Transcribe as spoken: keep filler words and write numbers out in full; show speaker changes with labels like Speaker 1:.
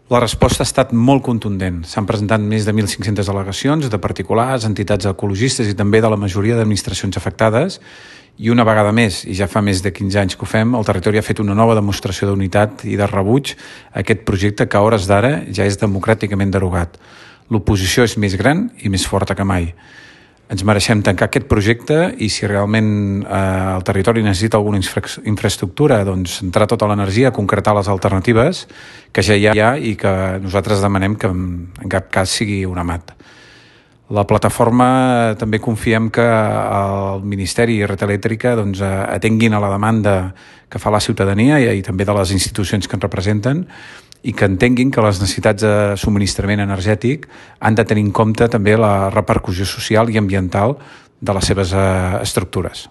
Speaker 1: La resposta ha estat molt contundent. S'han presentat més de mil cinc-centes al·legacions de particulars, entitats ecologistes i també de la majoria d'administracions afectades. I una vegada més, i ja fa més de quinze anys que ho fem, el territori ha fet una nova demostració d'unitat i de rebuig a aquest projecte que a hores d'ara ja és democràticament derogat. L'oposició és més gran i més forta que mai. Ens mereixem tancar aquest projecte i si realment eh, el territori necessita alguna infra infraestructura, doncs centrar tota l'energia a concretar les alternatives que ja hi ha i que nosaltres demanem que en cap cas sigui un amat. La plataforma també confiem que el Ministeri i Red Elèctrica doncs, atenguin a la demanda que fa la ciutadania i, i també de les institucions que ens representen i que entenguin que les necessitats de subministrament energètic han de tenir en compte també la repercussió social i ambiental de les seves eh, estructures.